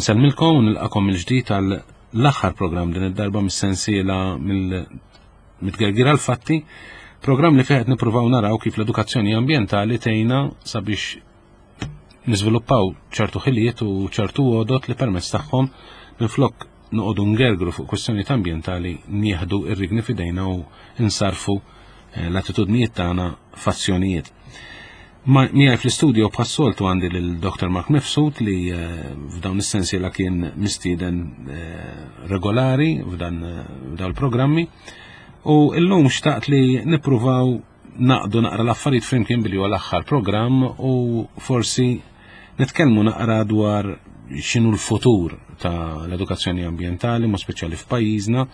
Insellmilkom u nilqakom mill-ġdid għal l-aħħar programm din id-darba mis-sensiela mill-Mitgergira l-Fatti, programm li fih qed nippruvaw naraw kif l-edukazzjoni ambjentali tgħinna sabiex niżviluppaw ċertu ħiliet u ċertu għodot li permezz tagħhom minflok noqogħdu ngergru fuq kwistjonijiet ambjentali nieħdu r-rigni f'idejna u nsarfu eh, l-attitudnijiet tagħna f'azzjonijiet. Miegħi fl-istudio bħas-soltu għandi lil Dr. Mark Mifsud li eh, f'dawn is-sensiela kien mistieden eh, regolari f'dan eh, f'dawn il-programmi u llum xtaqt li nippruvaw naqdu naqra l-affarijiet flimkien billi huwa l-aħħar programm u forsi nitkellmu naqra dwar x'inhu l-futur ta' l-edukazzjoni ambjentali, mod speċjali f'pajjiżna,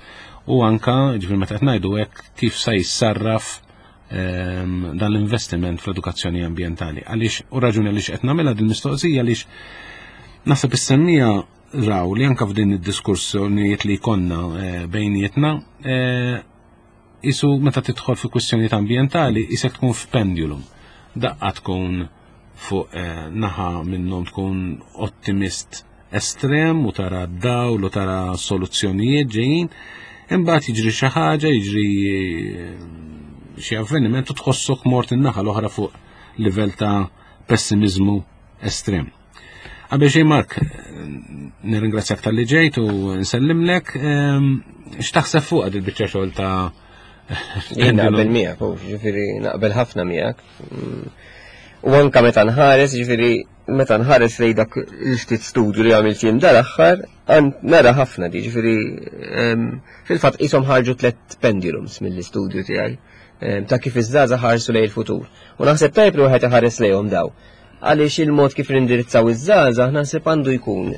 u anka, ġifieri meta qed ngħidu hekk, kif se jissarraf Ehm, dan l-investiment fl-edukazzjoni ambjentali. Għaliex, u raġuni għaliex qed nagħmilha din mistoqsija għaliex naħseb is-semmija raw li anka f'din id-diskursjonijiet li jkollna eh, bejnietna eh, isu meta tidħol fi kwistjonijiet ambjentali isek tkun f'pendulum. Daqqa tkun fuq eh, naħa minnhom tkun ottimist estrem u tara d-dawl u tara soluzzjonijiet ġejjin, imbagħad jiġri xi ħaġa, jiġri eh, xi avveniment u tħossok mort in-naħa l-oħra fuq livell ta' pessimizmu estrem. Qabel xejn Mark, nirringrazzjak tal-li ġejt u nsellimlek, ehm, x'taħseb fuq għad il-biċċa xogħol ta' Jien naqbel miegħek, ġifieri naqbel ħafna miegħek. Mm. U anka meta nħares, ġifieri meta nħares lejn dak il-ftit studju li għamilt jien dal-aħħar, nara ħafna di, ġifieri fil-fatt qishom ħarġu tliet pendulums mill-istudju tiegħi ta' kif iż-żgħażagħ ħarsu lejn il-futur. U naħseb tajb li wieħed iħares lejhom daw. Għaliex il-mod kif nindirizzaw iż-żgħażagħ naħseb għandu jkun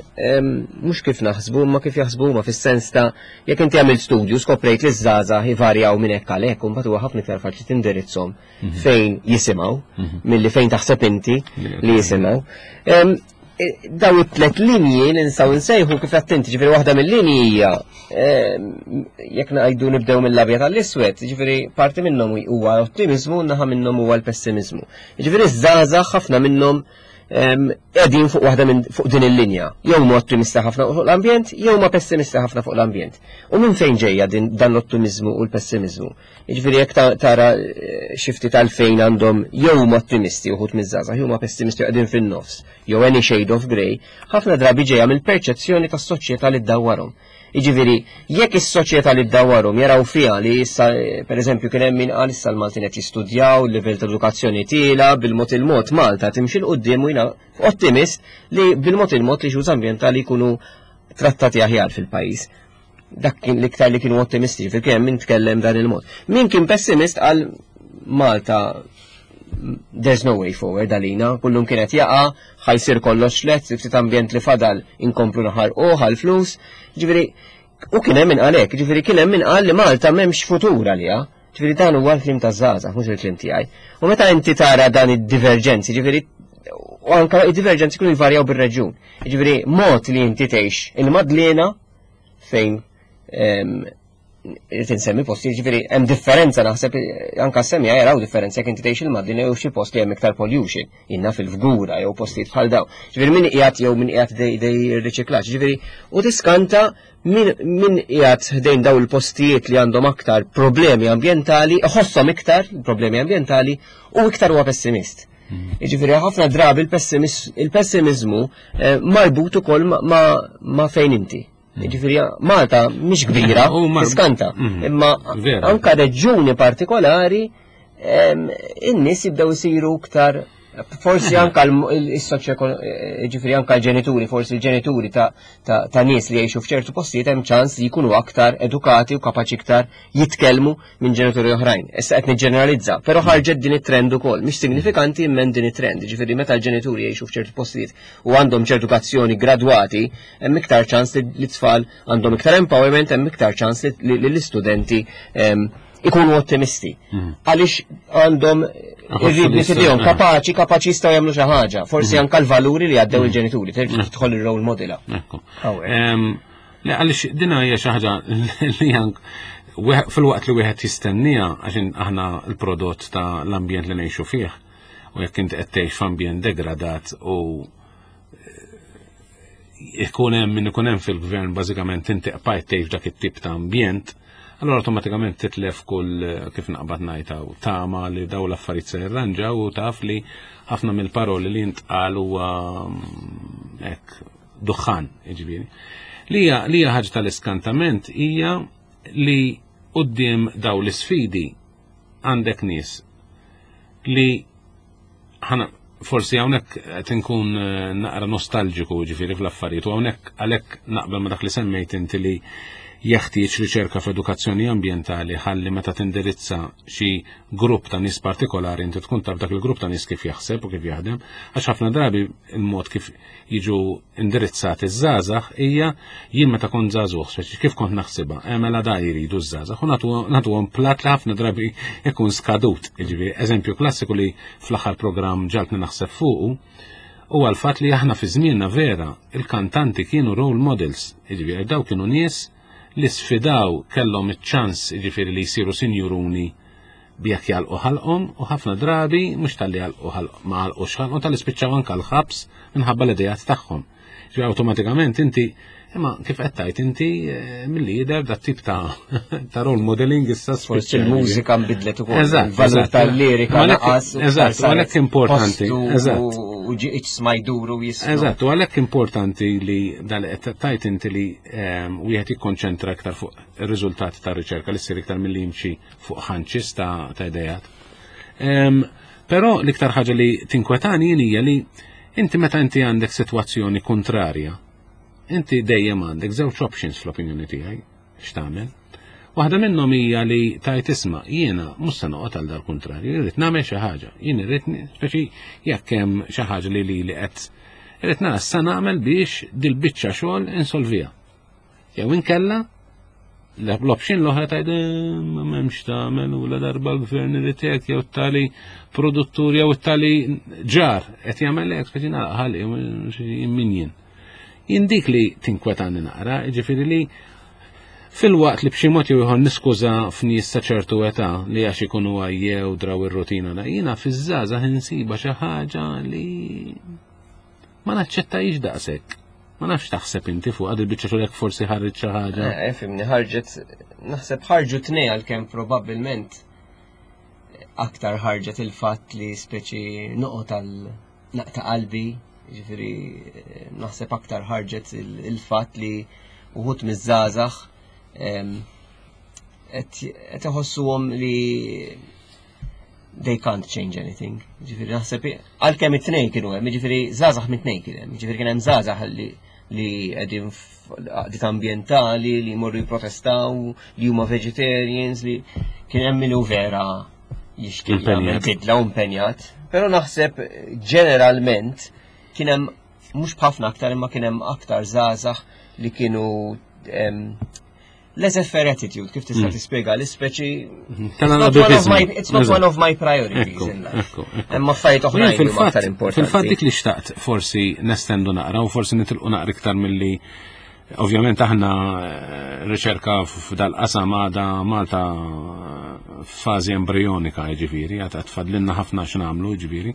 mhux kif naħsbu imma kif jaħsbu huma fis-sens ta' jekk inti għamilt studju skoprejt li ż-żgħażagħ ivarjaw minn hekk għal hekk u mbagħad huwa ħafna iktar faċli tindirizzhom mhm. fejn jisimgħu mhm. milli fejn taħseb inti li jisimgħu. E, daw it-tlet linji li nistgħu nsejħu kif attenti, ġifieri waħda mill-linji hija jekk ngħidu nibdew mill-abjad għall-iswed, ġifieri parti minnhom huwa ottimizmu, naħa minnhom huwa l-pessimizmu. Ġifieri żgħażagħ ħafna minnhom qegħdin fuq waħda minn fuq din il-linja. Jew ma ottimista ħafna fuq l-ambjent, jew ma pessimista ħafna fuq l-ambjent. U minn fejn ġejja din dan l-ottimizmu u l-pessimizmu? Jiġifieri jekk tara eh, xi ftit għalfejn għandhom jew huma ottimisti uħud miż-żgħażagħ, jew huma pessimisti qegħdin fin-nofs, jew any shade of grey, ħafna drabi ġejja mill-perċezzjoni tas-soċjetà li ddawwarhom. Jiġifieri, jekk is-soċjetà li ddawwarhom jaraw fiha li issa eh, pereżempju kien hemm min qal issa l-Maltin qed jistudjaw, il-livell ta' edukazzjoni tiela, bil-mod il-mod Malta timxi 'l quddiem u jiena ottimist li bil-mod il-mod li issues ambjentali jkunu trattati aħjar fil-pajjiż dak kien l-iktar li kienu ottimisti, fil kien min tkellem dan il-mod. Min kien pessimist għal Malta there's no way forward għalina, kullum kienet jaqa, ħajsir kollox let, ftit ambjent li fadal inkomplu naħarqu għal flus, ġifieri u kien hemm min qalek, ġifieri kien hemm min qal li Malta m'hemmx futur għaliha. Ġifieri dan huwa l-kliem taż-żgħażagħ, mhux il-kliem tiegħi. U meta inti tara dan id-diverġenzi, ġifieri u anka id-diverġenzi kienu jvarjaw bir-reġjun. Ġifieri mod li inti tgħix il-Madliena fejn irrid insemmi posti, ġifieri hemm differenza naħseb anka semmija jaraw differenza jekk inti tgħix il-Madlina jew xi post li hemm iktar pollution, inna fil-Fgura jew postijiet bħal daw. Ġifieri min qiegħed jew min qiegħed dej riċiklaġġ, ġifieri u tiskanta min qiegħed ħdejn daw il-postijiet li għandhom aktar problemi ambjentali, iħosshom iktar problemi ambjentali u iktar huwa pessimist. Hmm. Jiġifieri ħafna drabi il-pessimizmu eh, marbut ukoll ma' fejn inti. Hmm. Jiġifieri Malta mhix kbira, tiskanta, hmm. imma anka reġjuni partikolari in-nies jibdew isiru iktar forsi anka l-soċjo ġifieri anka l-ġenituri, forsi l-ġenituri ta' ta' nies li jgħixu f'ċertu postijiet hemm ċans li jkunu aktar edukati u kapaċi iktar jitkellmu minn ġenituri oħrajn. Issa qed niġġeneralizza, però ħarġet din it-trend ukoll, mhix signifikanti imma din it-trend, ġifieri meta l-ġenituri jgħixu f'ċertu postijiet u għandhom ċertu edukazzjoni gradwati, hemm iktar ċans li t-tfal għandhom iktar empowerment, hemm iktar ċans li l-istudenti ehm, ikunu ottimisti. Mm. Għaliex għandhom irridni fidejhom kapaċi, kapaċi jistgħu jagħmlu xi ħaġa. Forsi mm. anke l-valuri li għaddew mm. il-ġenituri, terġa' tidħol ir-role model. Le għaliex din hija xi ħaġa li ank fil-waqt li wieħed jistennija għax aħna l-prodott ta' l-ambjent li ngħixu fih u jekk inti qed tgħix f'ambjent degradat u eh, Ikun hemm min ikun hemm fil-gvern bażikament inti qbajt tgħix dak it-tip ta' ambjent, allura awtomatikament titlef kull kif naqbad ngħid tama li daw l-affarijiet se jirranġaw u taf li ħafna mill-paroli li jintqal huwa mm, hekk duħħan, jiġifieri. Li hija ħaġa tal-iskantament hija li quddiem daw l-isfidi għandek nies li ħana forsi hawnhekk qed inkun eh, naqra nostalġiku ġifieri fl-affarijiet u hawnhekk għalhekk naqbel ma dak li semmejt inti li jeħtieġ riċerka f'edukazzjoni ambjentali ħalli meta tindirizza xi grupp ta' nies partikolari inti tkun taf dak il-grupp ta' nies kif jaħseb u kif jaħdem, għax ħafna drabi il-mod kif jiġu indirizzati ż-żgħażagħ hija jien meta kont żagħżugħ, speċi kif kont naħsibha, eh, mela da jridu ż-żgħażagħ u nagħtuhom plat li ħafna drabi ikun skadut. Jiġifieri eżempju klassiku li fl-aħħar programm ġaltni naħseb fuqu huwa l-fatt li aħna fi żmienna vera il-kantanti kienu role models, jiġifieri daw kienu nies li sfidaw kellhom iċ-ċans jiġifieri li jsiru sinjuruni b'jekk jagħlqu ħalqhom u ħafna drabi mhux talli jagħlqu ħalq ma għalqux ħalqhom talli spiċċaw anke l-ħabs minħabba l-idejat tagħhom. Ġi awtomatikament inti imma kif qed tgħid inti eh, milli jidher dat tip ta' ta' role modeling issa forsi il-mużika nbidlet ukoll. Eżatt, valur tal-lirika naqas. Eżatt, għalhekk importanti. Eżatt. U ġiqx smajduru jisma'. Eżatt, u għalhekk importanti li dal qed tajt inti li ehm, wieħed jikkonċentra iktar fuq ir-riżultati tar-riċerka li ssir iktar milli jimxi fuq ħanċis ta', ta idejat. Però l-iktar ħaġa li tinkwetani jien hija li inti meta inti għandek sitwazzjoni kontrarja, inti dejjem għandek żewġ options fl-opinjoni tiegħi x'tagħmel. Waħda minnhom hija li tajt isma' jiena mhux se noqgħod għal dal-kuntrarju, irrid nagħmel xi ħaġa. Jien irrid speċi jekk hemm xi ħaġa li li qed irrid nara sa nagħmel biex dil-biċċa xogħol insolvija. Jew inkella l-option l-oħra tgħid eh, ma m'hemmx tagħmel u la darba l-gvern irid hekk jew tali produttur jew tali ġar qed jagħmel hekk speċi nagħlaq ħalli min jien. Jien dik li tinkwetani naqra, jiġifieri li fil-waqt li b'xi mod jew ieħor niskuża f'nies ta' ċertu età li għax ikunu għajjew draw ir-rutina jiena fiż-żgħażagħ insiba xi ħaġa li ma naċċettajx daqshekk. Ma nafx taħseb inti fuq għad il-biċċa xogħol jekk forsi ħarġet xi ħaġa. Eh, fimni ħarġet naħseb ħarġu tnej għalkemm probabbilment aktar ħarġet il-fatt li speċi noqgħod għal naqta' qalbi, ġifieri eh, naħseb aktar ħarġet il-fatt li uħut miż-żgħażagħ qed iħossuhom li they can't change anything. Ġifieri naħseb għalkemm it-tnejn kienu hemm, ġifieri żgħażagħ mit-tnejn kien hemm, ġifieri kien hemm żgħażagħ li li qegħdin għaqdiet ambjentali li jmorru jipprotestaw, li huma vegetarians, li kien hemm min hu vera jixtieq jagħmel bidla u impenjat. Però naħseb ġeneralment kien hemm mhux b'ħafna aktar imma kien hemm aktar żgħażagħ li kienu laissez-faire attitude, kif tista' mm. tispjega l-ispeċi. Mhm. It's not one of my priorities in life. Hemm affarijiet oħrajn li huma aktar importanti. Fil-fatt dik li xtaqt forsi nestendu naqra u forsi nitilqu naqra iktar milli ovvjament aħna eh, riċerka f'dal-qasam għada Malta eh, f'fażi embrionika ġifieri, għad tfadlinna ħafna x'nagħmlu ġifieri.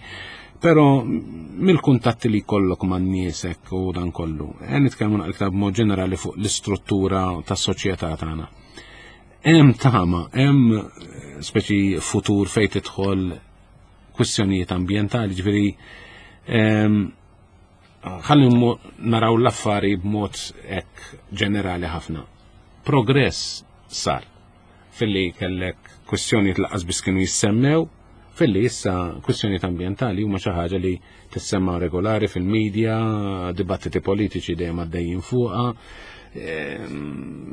Pero mill-kuntatti li jkollok man niesek u dan kollu, eh, nitkellmu naqra iktar b'mod ġenerali fuq l-istruttura tas-soċjetà tagħna. Hemm tama, hemm eh, speċi futur fejn tidħol kwistjonijiet ambjentali, ġifieri ehm, ħalli naraw l-affari b'mod hekk ġenerali ħafna. Progress sar filli kellek kwistjonijiet laqas biss kienu jissemmew, filli issa kwistjonijiet ambjentali huma xi ħaġa li tissemma regolari fil-medja, dibattiti politiċi dejjem għaddejjin fuqha. Ehm,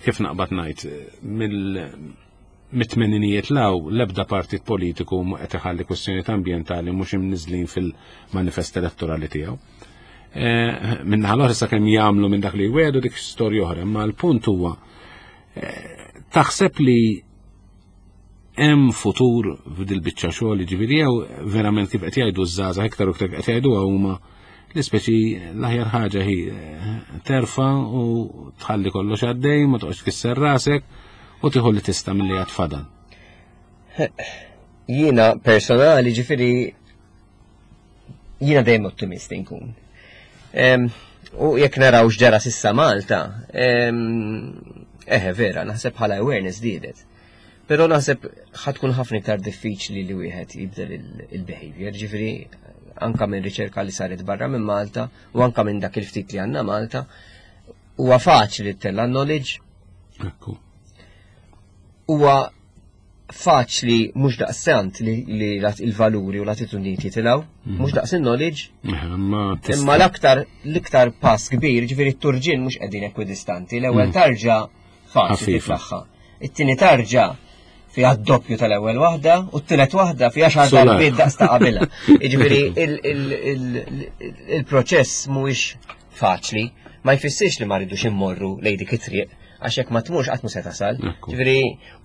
kif naqbad ngħid, mill mit-tmeninijiet law l-ebda partit politiku ma qed iħalli kwistjonijiet ambjentali mhux imniżlin fil-manifest elettorali tiegħu. Eh, Minnaħa l-oħra sakemm jagħmlu minn dak li jwedu dik storja oħra, imma l-punt huwa Taħseb li hemm futur f'dil biċċa xogħol, jiġifieri jew verament kif qed jgħidu ż-żgħażagħ iktar u iktar qed jgħiduha huma l-ispeċi l-aħjar ħaġa hi eh, terfa u tħalli kollox għaddej, ma toqgħodx tkisser rasek u tieħu li tista' milli għad fadal. Jiena personali ġifieri jiena dejjem ottimist inkun. U jekk naraw x'ġara s'issa Malta, eħe vera, naħseb bħala awareness żdiedet. Però naħseb ħa tkun ħafna iktar diffiċli li wieħed jibdel il-behavior, ġifieri anka minn riċerka li saret barra minn Malta u anka minn dak il-ftit li għandna Malta, huwa faċli ttella' knowledge. Ekku. Huwa faċli mhux daqsant li il-valuri u l-attitudnijiet jitilgħu, mhm. mhux daqs il-knowledge. Imma l-aktar l-iktar pass kbir, ġifieri t-turġien mhux qegħdin ekwidistanti, l-ewwel mhm. tarġa faċli titlaħħa. It-tieni tarġa fiha d-doppju tal-ewwel waħda u t-tielet waħda fiha xar darbiet daqs ta' qabilha. Jiġifieri il-proċess mhuwiex faċli, ma jfissirx li ma rridux immorru lejn dik it-triq għax jekk ma tmurx qatt mhu se tasal. Ġifieri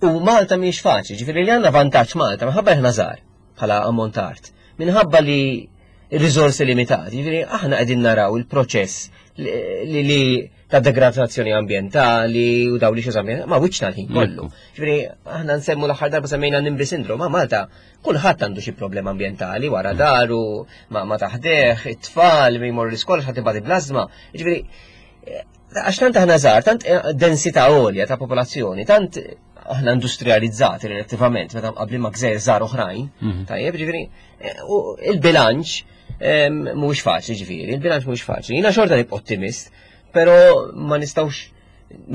u Malta mhijiex faċli, ġifieri li għandna vantaġġ Malta minħabba aħna żgħar bħala ammont art, minħabba li riżorsi limitati, ġifieri aħna qegħdin naraw il-proċess li ta' degradazzjoni ambientali u daw li xi ma wiċċna l-ħin kollu. Ġifieri aħna nsemmu l-aħħar darba semmejna Nimbi syndrome, ma Malta kulħadd għandu xi problema ambjentali wara mm. daru, ma, ma taħdeħ, it-tfal mi jmorru l-iskola ħadd ibadi blażma. Ġifieri eh, għax tant aħna żgħar, tant eh, densità għolja ta' popolazzjoni, tant aħna industrializzati relattivament meta qabli ma' gżejjer żgħar oħrajn, mhm. tajjeb, ġifieri eh, il-bilanċ mhuwiex faċli ġifieri, il-bilanċ mhuwiex faċli. Jiena xorta nibqa' ottimist, però ma nistgħux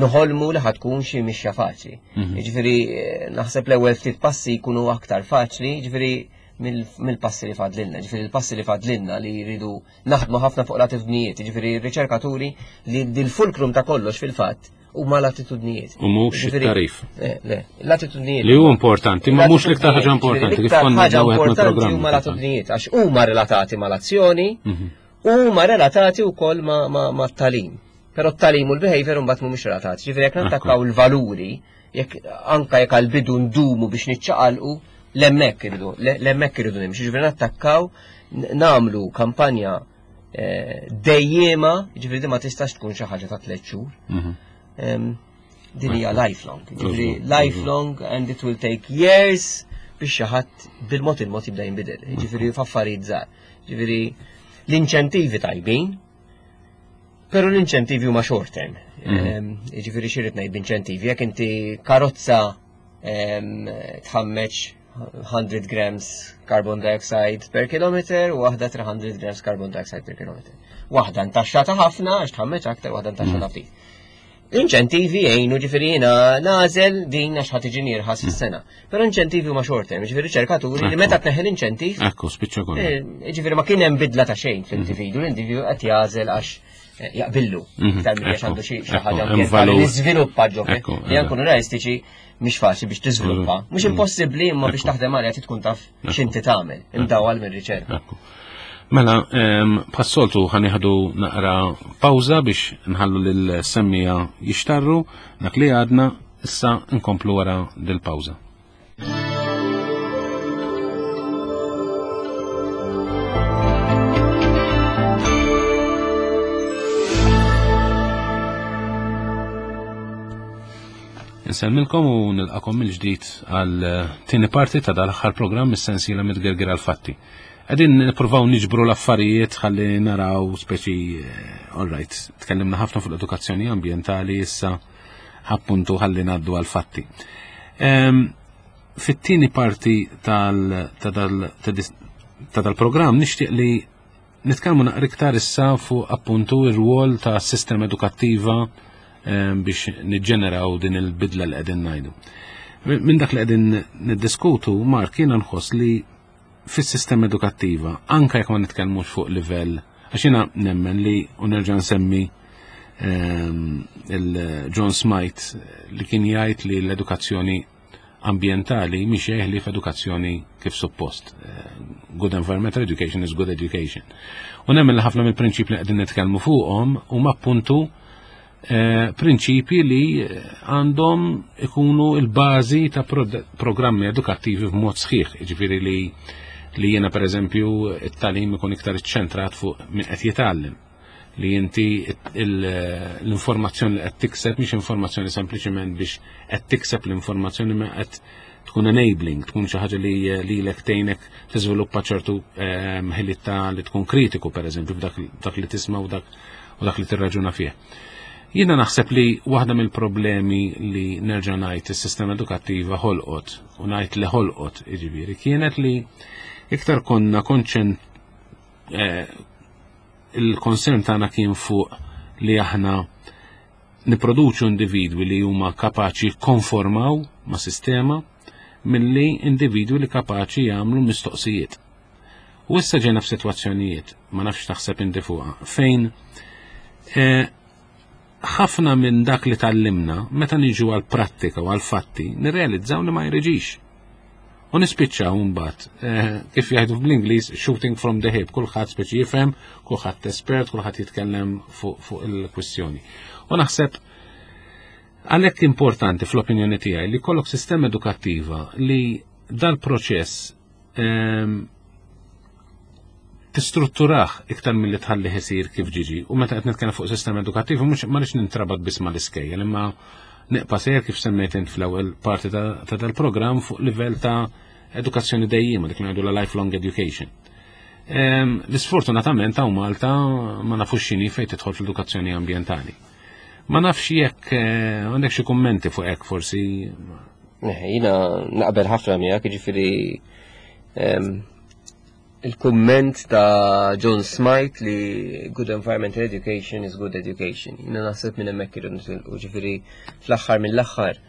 noħolmu li ħatkun xi mixja faċli. Mhm. Jiġifieri eh, naħseb l-ewwel ftit passi jkunu aktar faċli, jiġifieri mill-passi li fadlilna, ġifieri l-passi li fadlilna li jridu naħdmu ħafna fuq l-attitudnijiet, ġifieri r-riċerkaturi li dil-fulkrum ta' kollox fil-fatt huma l-attitudnijiet. U mhux it-tarif. Eh, le, l-attitudnijiet. Li hu importanti, ma mhux l-iktar ħaġa importanti. L-iktar ħaġa importanti huma l-attitudnijiet għax huma relatati mal-azzjoni, mhm. huma relatati wkoll ma' tagħlim. Però t-tagħlim u l-behavior mbagħad mhumiex relatati. Ġifieri jekk nattakkaw il-valuri, jekk anka jekk għal-bidu ndumu biex niċċaqalqu, l-hemmhekk irridu, l-hemmhekk irridu nimxu, ġifieri nattakkaw namlu kampanja eh, dejjema, ġifieri ma tistax tkun xi ħaġa ta' tliet xhur. Mhm. Din hija lifelong, ġifieri lifelong and it will take years biex xi ħadd bil-mod il-mod jibda jinbidel, ġifieri f'affarijiet żgħar. Ġifieri l-inċentivi tajbin, Pero l-inċentivi huma short term. Mhm. Ġifieri xi rrid ngħid b'inċentivi, jekk inti karozza tħammeġ 100 grams carbon dioxide per kilometer u waħda 300 grams carbon dioxide per kilometer. Waħda ntaxxata ħafna għax tħammeġ aktar, waħda ntaxxata mhm. ftit. L-inċentivi jgħinu ġifieri jiena nagħżel din għax ħa tiġi irħas fis-sena. Però inċentivi huma short term, ġifieri riċerkaturi li meta tneħħi l-inċentiv. Ekku, spiċċa kollu. Eh, ġifieri ma kien hemm bidla ta' xejn fl-individu, l-individu qed jagħżel għax eh, jaqbillu. Mhm. Iktar milli għax għandu xi ħaġa ambjentali li żviluppa ġo li nkunu realistiċi mhix faċli biex tiżviluppa. Mhux mhm. impossibbli imma biex taħdem għaliha tkun taf x'inti tagħmel, imdawal mir-riċerka. Mela, bħas-soltu ħa nieħdu naqra pawża biex nħallu lil-semmiegħa jixtarru dak li għadna issa nkomplu wara dil-pawża. Insellmilkom u nilqakom mill-ġdid għal tieni parti ta' dal-aħħar programm mis-sensiela Mitgerger għal-Fatti. Qegħdin nippruvaw niġbru l-affarijiet ħalli naraw speċi eh, all right, tkellimna ħafna fuq l-edukazzjoni ambjentali issa appuntu ħalli ngħaddu għal-fatti. Ehm, fit-tieni parti ta' dal-programm nixtieq li nitkellmu naqra iktar issa fuq appuntu ir-rwol ta' sistema edukattiva ehm, biex niġġeneraw din il-bidla li qegħdin ngħidu. Minn dak li qegħdin niddiskutu, Mark, jiena nħoss li fis-sistema edukattiva, anka jekk ma nitkellmux fuq livell, għax jiena nemmen li u nerġa' nsemmi ehm, il-John Smythe li kien jgħid li l-edukazzjoni ambientali mhix li f'edukazzjoni kif suppost. Eh, good environmental education is good education. U nemmen li ħafna mill-prinċipji li qegħdin nitkellmu fuqhom huma appuntu eh, prinċipji li għandhom ikunu il-bażi ta' programmi edukattivi b'mod sħiħ, jiġifieri li li jiena pereżempju it-tagħlim ikun iktar iċċentrat fuq min qed jitgħallem li inti l-informazzjoni li qed tikseb mhix informazzjoni sempliċement biex qed tikseb l-informazzjoni ma qed tkun enabling, tkun xi ħaġa li lilek tgħinek tiżviluppa ċertu ehm, ħiliet ta' li tkun kritiku pereżempju f'dak dak li tisma' u dak u dak li tirraġuna fih. Jiena naħseb li waħda mill-problemi li nerġa' ngħid is-sistema edukattiva ħolqot u ngħid li ħolqot jiġifieri kienet li iktar konna konċent eh, il-konsern tagħna kien fuq li aħna niproduċu individwi li huma kapaċi jikkonformaw ma' sistema milli individwi li kapaċi jagħmlu mistoqsijiet. U issa ġejna f'sitwazzjonijiet, ma nafx taħseb inti fuqha, fejn eh, ħafna minn dak li tallimna meta niġu għal prattika u għal fatti nirrealizzaw li ma jreġix. U nispiċċaw mbagħad eh, kif jgħidu bl-Ingliż shooting from the hip, kulħadd speċi jifhem, kulħadd espert, kulħadd jitkellem fuq fu il-kwistjoni. U naħseb għalhekk importanti fl-opinjoni tiegħi li kollok sistema edukattiva li dal-proċess ehm, tistrutturah iktar milli tħalli isir kif ġiġi. U meta qed nitkellem fuq sistema edukattiv mhux ma rridx nintrabat biss mal-iskejjel, imma neqpa' sejjer kif semmejt int fl-ewwel parti ta' dal-programm fuq livell ta' edukazzjoni dejjima dik li ngħidu la lifelong education. Ehm, l-isfortunatament hawn Malta ma nafux x'inhi fejn tidħol fl-edukazzjoni ambjentali. Ma nafx jekk eh, għandek xi kummenti fuq hekk forsi. Eh, jiena naqbel ħafna miegħek, jiġifieri ehm, il-kumment ta' John Smythe li good environmental education is good education. Jina naħseb minn hemmhekk irridu nitilqu, ġifieri fl-aħħar mill-aħħar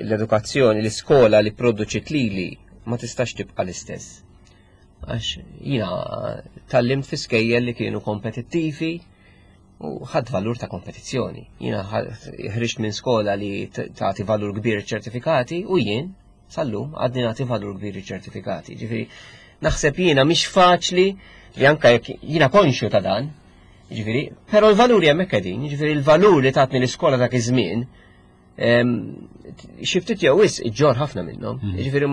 l-edukazzjoni, l-iskola li produċit lili ma tistax tibqa' l-istess. Għax jina tallimt fi skejjel li kienu kompetittivi u ħadd valur ta' kompetizzjoni. Jina ħriġt minn skola li tagħti valur kbir ċertifikati u jien Sal-lum għadni nagħti valur kbir iċ-ċertifikati. Ġifieri naħseb jiena mhix faċli li anke jekk jiena konxju ta' dan, ġifieri, però l-valuri hemmhekk qegħdin, ġifieri l-valur li tatni l-iskola dak iż-żmien xi ftit jew wisq iġġor ħafna minnhom. Mhm. Ġifieri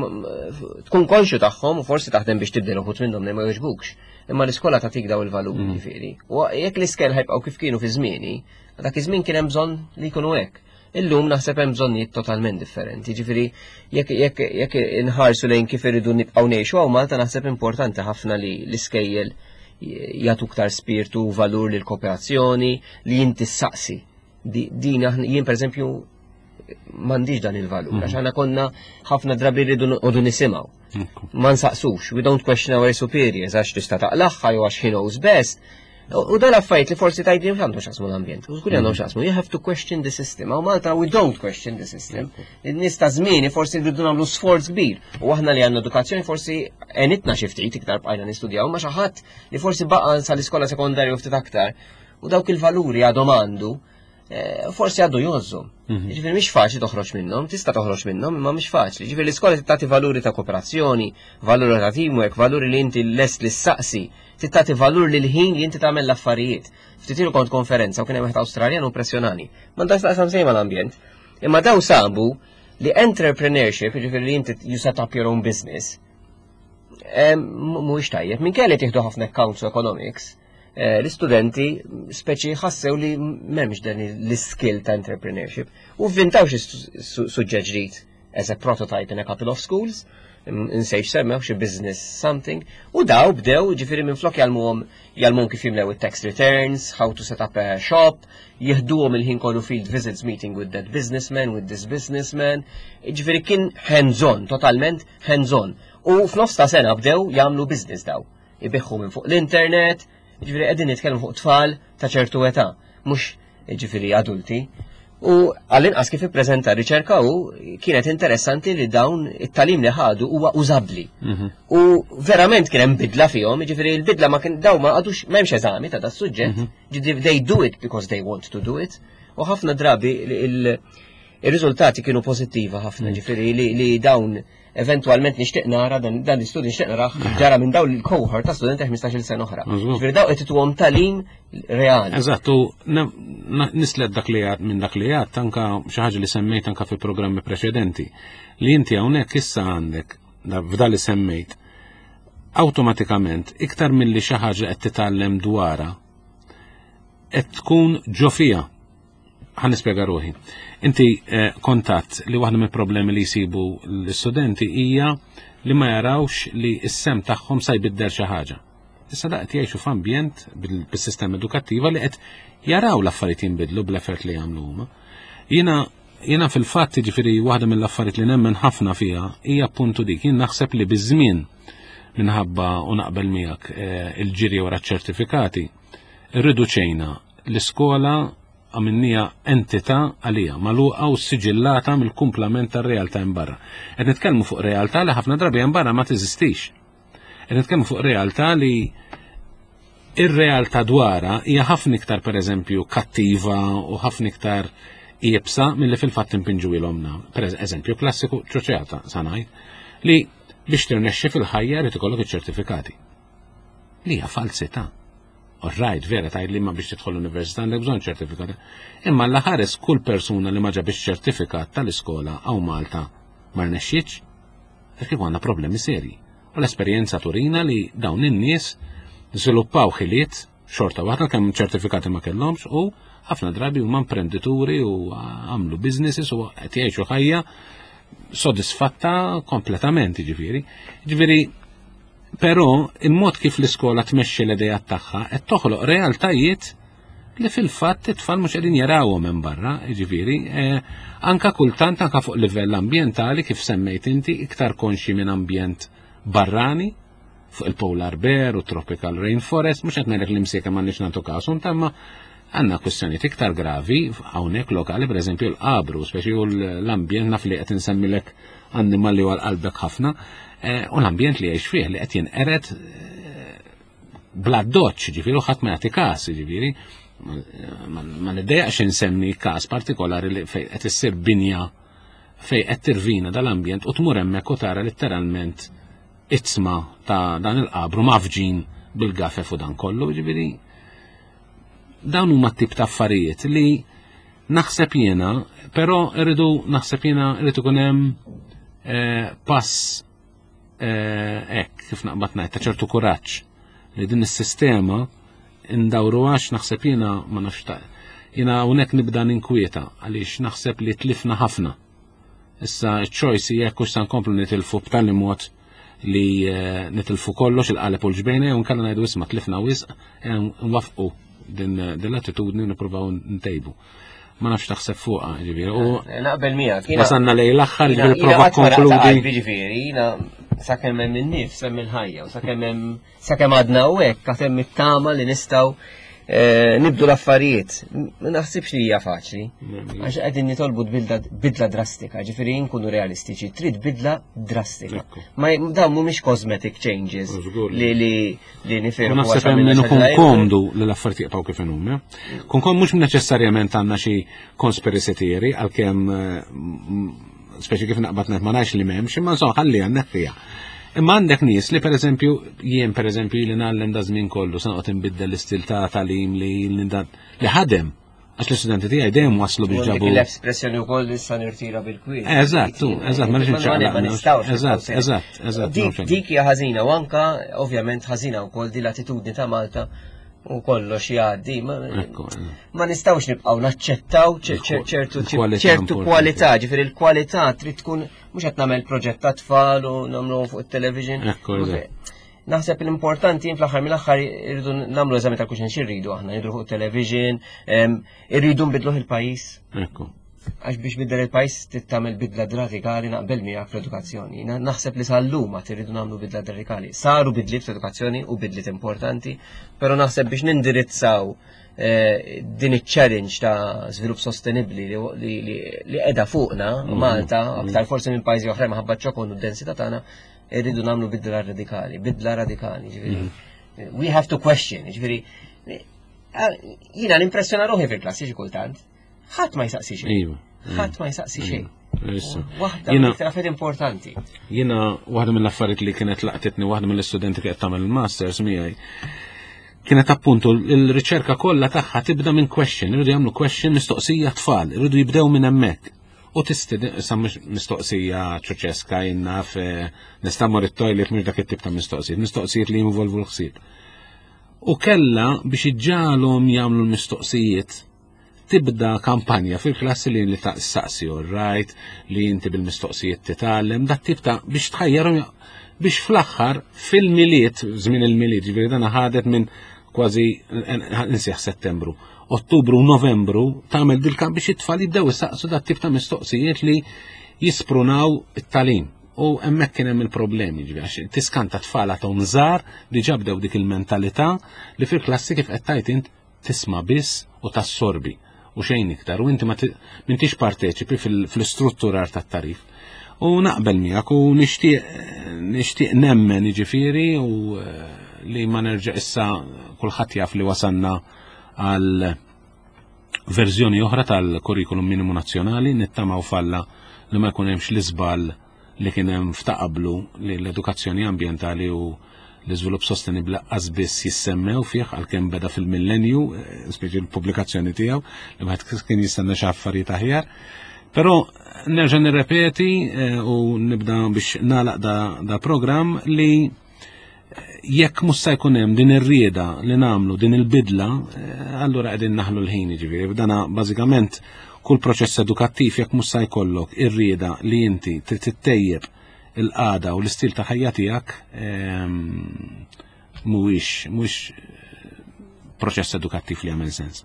tkun konxju tagħhom u forsi taħdem biex tibdel uħud minnhom li ma jogħġbukx. Imma l-iskola tagħtik daw il-valuri mhm. ġifieri. U jekk l-iskel ħajbqgħu kif kienu fi żmieni, dak iż-żmien kien hemm bżonn li jkunu hekk. Illum naħseb hemm bżonnijiet totalment differenti. Ġifieri jekk jekk jekk inħarsu lejn kif irridu nibqgħu ngħixu hawn Malta naħseb importanti ħafna li l-iskejjel jagħtu iktar spirtu u valur lil kooperazzjoni li inti ssaqsi. Din jien pereżempju m'għandix dan il-valur, għax aħna konna ħafna drabi rridu noqogħdu nisimgħu. Ma nsaqsux, we don't question our superiors għax tista' taqlaħħa jew għax he knows best. U dal affarijiet li forsi tgħidli mhux għandhom x'jaqsmu l-ambjent. U żgur għandhom x'jaqsmu. You have to question the system. Hawn Malta we don't question the system. In-nies ta' żmieni forsi rridu nagħmlu sforz kbir. U aħna li għandna edukazzjoni forsi għenitna xi ftit iktar bqajna nistudjaw ma xi ħadd li forsi baqa' sal-iskola sekondarju ftit aktar. U dawk il-valuri għadhom għandu eh, forsi għadu jozzu. Mhm. Ġifieri mhix faċli toħroġ minnhom, tista' toħroġ minnhom, imma mhix faċli. Ġifieri l-iskola tagħti valuri ta' kooperazzjoni, valuri ta' teamwork, valuri li inti lest li ssaqsi, tagħti valur lil ħin li inti tagħmel l-affarijiet. Ftit ilu kont konferenza u kien hemm wieħed Awstraljan u impressjonani. M'għandax taqsam sejma l-ambjent. Imma daw sabu li entrepreneurship, ġifieri li inti you set up your own business, mhuwiex tajjeb. Minkejja li tieħdu ħafna accounts u economics, eh, l-istudenti speċi ħassew li m'hemmx dan l-skill ta' entrepreneurship u vvintaw xi suġġett ġdid as a prototype in a couple of schools, insejx semmew xi business something, u daw bdew ġifieri minn flok jgħallmuhom jgħallmuhom kif jimlew it-tax returns, how to set up a shop, jieħduhom il-ħin kollu field visits meeting with that businessman, with this businessman, ġifieri kien hands-on, totalment hands-on. U f'nofs ta' sena bdew jagħmlu business daw. Ibiħħu minn fuq l-internet, ġifieri qegħdin nitkellmu fuq tfal ta' ċertu età, mhux ġifieri adulti. U għall-inqas kif ippreżenta riċerka u kienet interessanti li dawn it-talim li ħadu huwa użabbli. Mhm. U verament kien hemm bidla fihom, ġifieri l-bidla ma kien daw ma għadux m'hemmx eżami ta' das suġġett, mhm. ġifieri they do it because they want to do it. U ħafna drabi il-riżultati kienu pożittiva ħafna, mhm. ġifieri li dawn Eventwalment nixtieq nara dan l-istudju nixtieq narah ġara minn dawn il-cohort ta' studenti 15-il sena oħra. Ġifieri daw qed ituhom talim reali. Eżatt, u nislet dak li għad minn dak li għad anka xi ħaġa li semmejt anka fi programmi preċedenti li inti hawnhekk issa għandek f'da li semmejt awtomatikament iktar milli xi ħaġa qed titgħallem dwarha qed tkun ġo fiha Ħa nispjega ruħi. Inti eh, kontatt li waħda mill-problemi li jsibu l-istudenti hija li ma jarawx li s-sem tagħhom sa jbiddel xi ħaġa. Issa da qed jgħixu f'ambjent bis-sistema edukattiva li qed jaraw l-affarijiet jinbidlu bl-effort li jagħmlu huma. Jiena jiena fil-fatt jiġifieri waħda mill-affarijiet li nemmen ħafna fiha hija appuntu dik. Jien naħseb li biż-żmien minħabba u naqbel miegħek eh, il-ġiri wara ċertifikati, irriduċejna l-iskola għamilniha entità għalija, magħluqa u siġillata mill-kumplament tar-realtà hemm barra. Qed nitkellmu fuq realtà li ħafna drabi hemm barra ma teżistix. Qed nitkellmu fuq realtà li ir-realtà dwarha hija ħafna iktar pereżempju kattiva u ħafna iktar iebsa milli fil-fatt impinġu ilhomna. Per eżempju klassiku ċoċeata sanaj li biex tirnexxi fil-ħajja rid ikollok iċ-ċertifikati. Li hija falsità. All right, vera tgħid li ma biex tidħol l-università għandek bżonn ċertifikat. Imma l-ħares kull persuna li ma ġabix ċertifikat tal-iskola hawn Malta ma rnexxietx, Għax kieku għandna problemi serji. U l-esperjenza turina li dawn in-nies żviluppaw ħiliet xorta waħda kemm ċertifikati ma kellhomx u ħafna drabi huma imprendituri u għamlu businesses u qed jgħixu ħajja sodisfatta kompletament, ġifieri. Ġifieri, però il-mod kif l-iskola tmexxi l-idejat tagħha qed toħloq realtajiet li fil-fatt it-tfal mhux qegħdin jarawhom minn barra, jiġifieri, eh, anka kultant anka fuq livell ambjentali kif semmejt inti iktar konxi minn ambjent barrani fuq il-polar bear u tropical rainforest, mhux qed ngħidlek li msieka m'għandniex nagħtu kasu, imma għandna kwistjonijiet iktar gravi hawnhekk lokali, pereżempju l-qabru, speċi u l-ambjent naf li qed insemmilek annimal li huwa qalbek ħafna, eh, u l-ambjent li jgħix fih li qed jinqered eh, bla doċ, ġifieri, u ħadd ma jagħti każ, ġifieri, ma niddejjaqx insemmi każ partikolari li fejn qed issir binja fejn qed tirvina dal-ambjent u tmur hemmhekk u tara letteralment itzma ta' dan il-qabru mafġin bil-gafef u dan kollu, ġifieri dawn huma tip ta' affarijiet li naħseb jiena, però rridu naħseb jiena rrid ikun hemm eh, pass Eh, hekk kif naqbad ngħid ta' ċertu kuraġġ li din is-sistema indawru għax naħseb jiena ma nafx ta' jiena hawnhekk nibda ninkwieta għaliex naħseb li tlifna ħafna. Issa ċ-choice hija jekk hux se nkomplu nitilfu b'tali mod li eh, nitilfu kollox il-qaleb u l-ġbejna jew nkella ngħidu isma' tlifna wisq eh, nwafqu din l-attitudni u nippruvaw ntejbu. Ma nafx taħseb fuqha, ġifieri. U eh, naqbel miegħek. Wasanna lejn l-aħħar, ġifieri prova konkludi. Ġifieri, jiena sakemm hemm in-nifs hemm il-ħajja u sakemm hemm sakemm għadna u hekk għad hemm it-tama li nistgħu eh, nibdu l-affarijiet. Ma naħsibx li hija faċli. Għax qegħdin nitolbu bidla drastika, ġifieri nkunu realistiċi, trid bidla drastika. Ma dawn mhumiex cosmetic changes li li li nifirħu. Naħseb hemm min ikun komdu li l-affarijiet jibqgħu kif inhuma. Eh? Kun kom mhux neċessarjament għandna xi conspiracy theory għalkemm eh, speċi kif naqbad ngħid ma ngħidx li m'hemmx, imma insomma ħalli għandek fiha. Imma għandek nies li pereżempju jien pereżempju li ngħallem da żmien kollu se noqgħod inbiddel l-istil ta' tagħlim li li ħadem Għax l-istudenti tiegħi dejjem waslu biex ġabu. L-espressjoni wkoll li sa nirtira bil-kwiet. Eżatt, eżatt, ma nix nistgħux. Eżatt, eżatt, eżatt. Dik hija ħażina u anka ovvjament ħażina wkoll di l-attitudni ta' Malta u kollox jgħaddi. Ma nistgħux nibqgħu naċċettaw ċertu ċertu kwalità, ġifieri l-kwalità trid tkun mhux qed nagħmel proġett ta' tfal u nagħmluhom fuq it-television. Naħseb l-importanti fl-aħħar mill-aħħar irridu nagħmlu eżami ta' kuxen xirridu aħna, nidru fuq television, irridu nbidluh il-pajjiż. Ekku. Għax biex biddel il-pajjiż trid tagħmel bidla radikali naqbel miegħek fl-edukazzjoni. Naħseb li sal-lum għad irridu nagħmlu bidla radikali. Saru bidliet fl-edukazzjoni u bidliet importanti, però naħseb biex nindirizzaw eh, din iċ-challenge ta' żvilupp sostenibbli li qiegħda fuqna mm-hmm. Malta, aktar forsi minn pajjiżi oħra minħabba ċokon u d-densità tagħna, irridu nagħmlu bidla radikali, bidla radikali, ġifieri. Mhm. We have to question, ġifieri. Eh, jiena nimpressjona ruħi fil-klassi xi kultant. Ħadd ma jsaqsi xejn. Iva. Ħadd ma jsaqsi xejn. Waħda mill importanti. Jiena waħda mill-affarijiet li kienet laqtitni waħda mill-istudenti li qed tagħmel il-masters miegħi kienet appuntu l-riċerka kollha tagħha tibda minn question, irridu jagħmlu question mistoqsija tfal, irridu jibdew minn hemmhekk. U tistiden, sa mhux mistoqsija ċuċeska jien naf eh, nista' mmur it-toilet mhux dak it-tip ta' mistoqsijiet, mistoqsijiet li jinvolvu l-ħsieb. U kella biex iġġalhom jagħmlu l-mistoqsijiet tibda kampanja fil-klassi li li taqsaqsi all right, li inti bil-mistoqsijiet titgħallem, dat tip ta' biex tħajjarhom. Biex fl-aħħar fil-Milied, żmien il-Milied, ġifieri dan ħadet minn kważi insieħ Settembru, Ottubru u Novembru tagħmel dil-kamp biex it-tfal jibdew isaqsu dat tip ta' mistoqsijiet li jisprunaw it-tagħlim. U hemmhekk kien hemm il-problemi, ġifieri għax tiskanta tfal għadhom żgħar diġà bdew dik il-mentalità li fil-klassi kif qed tgħid int tisma' biss u tassorbi u xejn iktar u inti ma m'intix parteċipi fl-istrutturar tat-tagħrif. U naqbel miegħek u nixtieq nixtieq nemmen jiġifieri u eh, li ma nerġa' issa kulħadd jaf li wasanna għal verżjoni oħra tal-kurrikulum minimu nazzjonali nittamaw falla li ma jkun hemmx l-iżball li kien hemm f'taqablu li l-edukazzjoni ambjentali u l-iżvilupp sostenibbli lanqas biss jissemmew fih għalkemm beda fil-millenju, eh, speċi l-pubblikazzjoni tiegħu, li wieħed kien jistenna xi affarijiet aħjar. Però nerġa' nirrepeti eh, u nibda biex nagħlaq da, da programm li eh, jekk mhux se jkun hemm din ir-rieda li nagħmlu din il-bidla, allura qegħdin naħlu l-ħin jiġifieri. Dana bażikament kull proċess edukattiv jekk mhux se jkollok ir-rieda li inti trid tittejjeb il-qagħda u l-istil ta' ħajja tiegħek ehm, mhuwiex mhuwiex proċess edukattiv li jagħmel sens.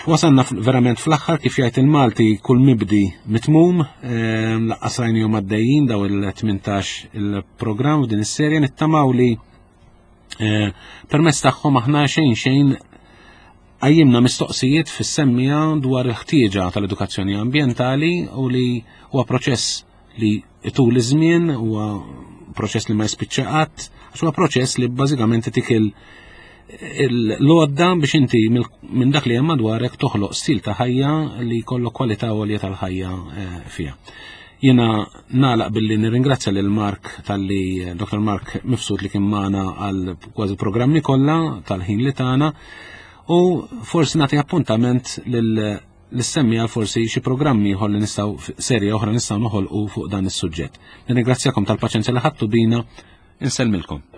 Wasanna verament fl-aħħar kif jgħid il-Malti kull mibdi mitmum, ehm, laqqas rajnihom għaddejjin daw il-18 il-programm f'din is-serje nittamaw li eh, permezz tagħhom aħna xejn xejn qajjimna mistoqsijiet fis-semmija dwar il-ħtieġa tal-edukazzjoni ambjentali u li huwa proċess li itul iż-żmien, huwa proċess li ma jispiċċa qatt, għax huwa proċess li bażikament itik l-għodda biex inti minn dak li hemm madwarek toħloq stil ta' ħajja li jkollok kwalità għolja tal-ħajja eh, fiha. Jiena nagħlaq billi nirringrazzja lil Mark talli Dr. Mark Mifsud li kien magħna għal kważi programmi kollha tal-ħin li tagħna u forsi nagħti appuntament lil l-semmi għal forsi xi programmi ieħor li nistgħu serje oħra nistgħu noħolqu fuq dan is-suġġett. Nirringrazzjakom tal-paċenzja li ħadtu bina, insellmilkom.